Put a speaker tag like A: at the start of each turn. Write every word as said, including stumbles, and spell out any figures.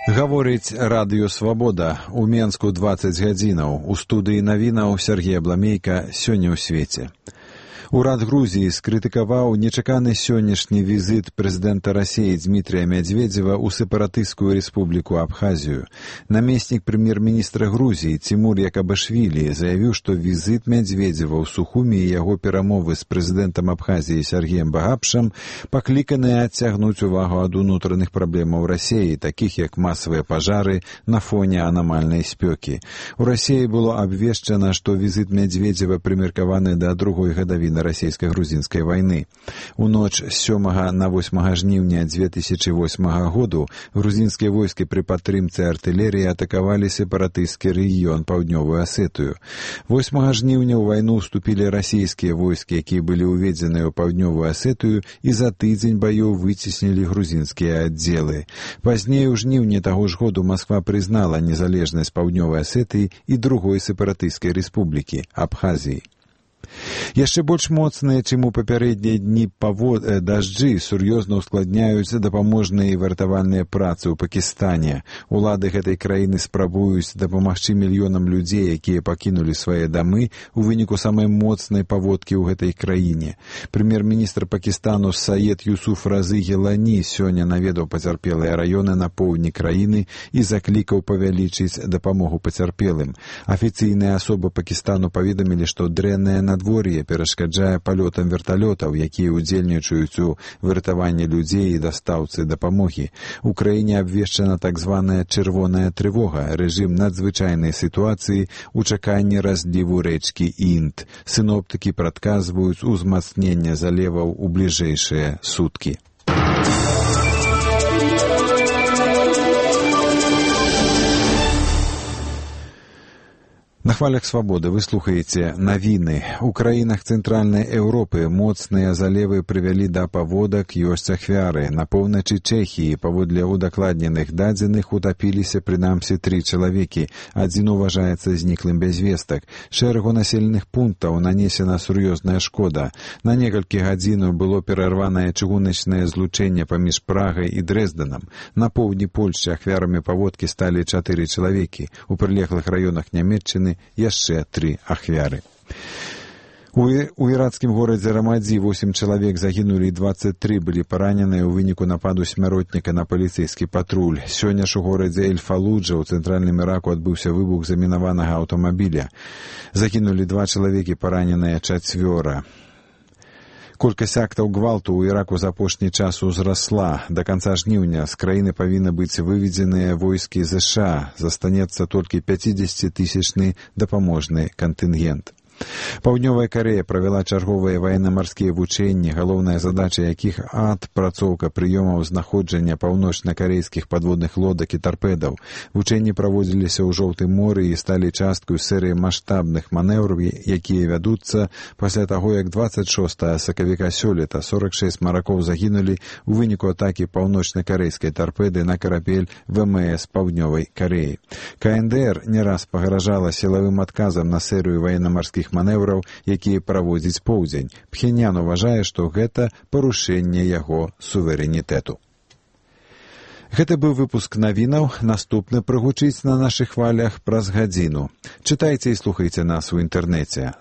A: Гаворыць радыё «Свабода». У Менску дваццаць гадзінаў. У студыі навінаў Сергей Абламейка. Сёння ў свеце. Урад Грузіі скрытыкаваў нечаканы сённяшні візіт прэзідэнта Расіі Дмітрия Медведзева ў сепаратысцкую рэспубліку Абхазію. Намеснік прэм'ер-міністра Грузіі Тимур Якабашвілі заявіў, што візіт Медведзева ў Сухуми і яго перамовы з прэзідэнтам Абхазіі Сергеем Багапшам пакліканыя адцягнуць увагу ад унутраных праблемаў Расіі, такіх як масавыя пажары на фоне анамальнай спёкі. У Расіі было абвешчана, што візіт Медведзева прымеркаваны да другой гадавіны расійска-грузінскай вайны. У ноч з сёмага на восьмага жніўня дзве тысячы восьмага году грузінскія войскі пры падтрымцы артылерыі атакавалі сепаратысцкі рэгіён паўднёвую Асетыю. восьмага жніўня ў вайну ўступілі расійскія войскі, якія былі ўведзеныя ў паўднёвую Асетыю, і за тыдзень баёў выцеснілі грузінскія аддзелы. Пазней у жніўні таго ж году Масква прызнала незалежнасць паўднёвай Асетыі і другой сепаратысцкай рэспублікі – Абхазіі. Яшчэ больш моцныя, чым у папярэднія дні павод... дажджы, сур'ёзна ускладняюць дапаможныя і вартавальныя працы ў Пакістане. Улады гэтай краіны спрабуюць дапамагчы мільёнам людзей, якія пакінулі свае дамы у выніку самай моцнай паводкі ў гэтай краіне. Прэм'ер-міністр Пакістану Саед Юсуф Разы Гелані сёння наведаў пацярпелыя раёны на поўдні краіны і заклікаў павялічыць дапамогу пацярпелым. Афіцыйныя асобы Пакістану паведамілі, што дрэннае надвор'е перашкаджае палётам верталётаў, якія ўдзельнічаюць у выратаванні людзей і дастаўцы дапамогі. У краіне абвешчана так званая чырвоная трывога, рэжым надзвычайнай сітуацыі ў чаканні разліву рэчкі Інд. Сіноптыкі прадказваюць узмацненне заліваў у бліжэйшыя суткі. На хвалях свабоды вы слухаеце навіны. У краінах цэнтральнай Еўропы моцныя залевы прывялі да паводак, ёсць ахвяры. На поўначы Чэхіі, паводле удакладненых дадзеных, утапіліся прынамсі тры чалавекі. Адзін уважаецца зніклым без вестак. Шэрагу населеных пунктаў нанесена сур'ёзная шкода. На некалькі гадзінаў было перарванае чыгуначнае злучэнне паміж Прагай і Дрэздэнам. На поўдні Польшчы ахвярамі паводкі сталі чатыры чалавекі. У прылеглых раёнах Нямецчыны яшчэ тры ахвяры. У, у іракскім горадзе Рамадзі восем чалавек загінулі і дваццаць тры былі параненыя ў выніку нападу смяротніка на паліцэйскі патруль. Сёння ж у горадзе Эль-Фалуджа ў цэнтральным Іраку адбыўся выбух замінаванага аўтамабіля. Загінулі два чалавекі, параненыя чацвёра. Колькасць актаў гвалту ў Іраку за апошні час узрасла. Да канца жніўня з краіны павінны быць выведзеныя войскі ЗША. Застанецца толькі пяцідзесяцітысячны дапаможны кантынгент. Паўднёвая Карэя правяла чарговыя ваенна-марскія вучэнні, галоўная задача якіх адпрацоўка прыёмаў знаходжання паўночна-карэйскіх падводных лодак і тарпедаў. Вучэнні праводзіліся ў Жоўтым моры і сталі часткай серыі маштабных манеўраў, якія вядуцца пасля таго, як дваццаць шостага сакавіка сёлета сорак шэсць маракоў загінулі ў выніку атакі паўночна-карэйскай тарпеды на карабель ВМС Паўднёвай Карэі. КНДР не раз пагражала сілавым адказам на серыю ваенна-марскіх манеўраў, якія праводзіць поўдзень. Пхенян уважае, што гэта парушэнне яго суверэнітэту. Гэта быў выпуск навінаў. Наступны прагучыць на нашых хвалях праз гадзіну. Чытайце і слухайце нас у інтэрнэце.